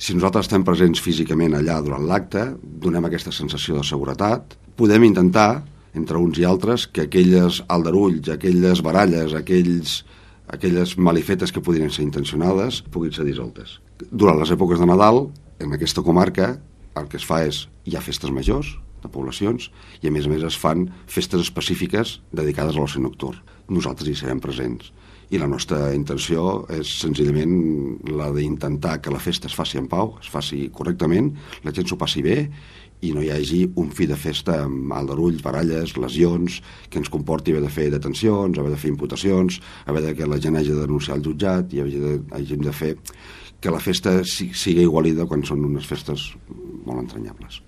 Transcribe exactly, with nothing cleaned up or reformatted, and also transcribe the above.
Si nosaltres estem presents físicament allà durant l'acte, donem aquesta sensació de seguretat, podem intentar, entre uns i altres, que aquelles aldarulls, aquelles baralles, aquells, aquelles malifetes que podrien ser intencionades puguin ser dissoltes. Durant les èpoques de Nadal, en aquesta comarca, el que es fa és, hi ha festes majors de poblacions i a més a més es fan festes específiques dedicades a l'oci nocturn. Nosaltres hi serem presents i la nostra intenció és senzillament la d'intentar que la festa es faci en pau, es faci correctament, la gent s'ho passi bé i no hi hagi un fi de festa amb aldarulls, baralles, lesions, que ens comporti haver de fer detencions, haver de fer imputacions, haver de que la gent hagi de denunciar al jutjat i hagi de, hàgim de fer que la festa sigui igualida quan són unes festes molt entranyables.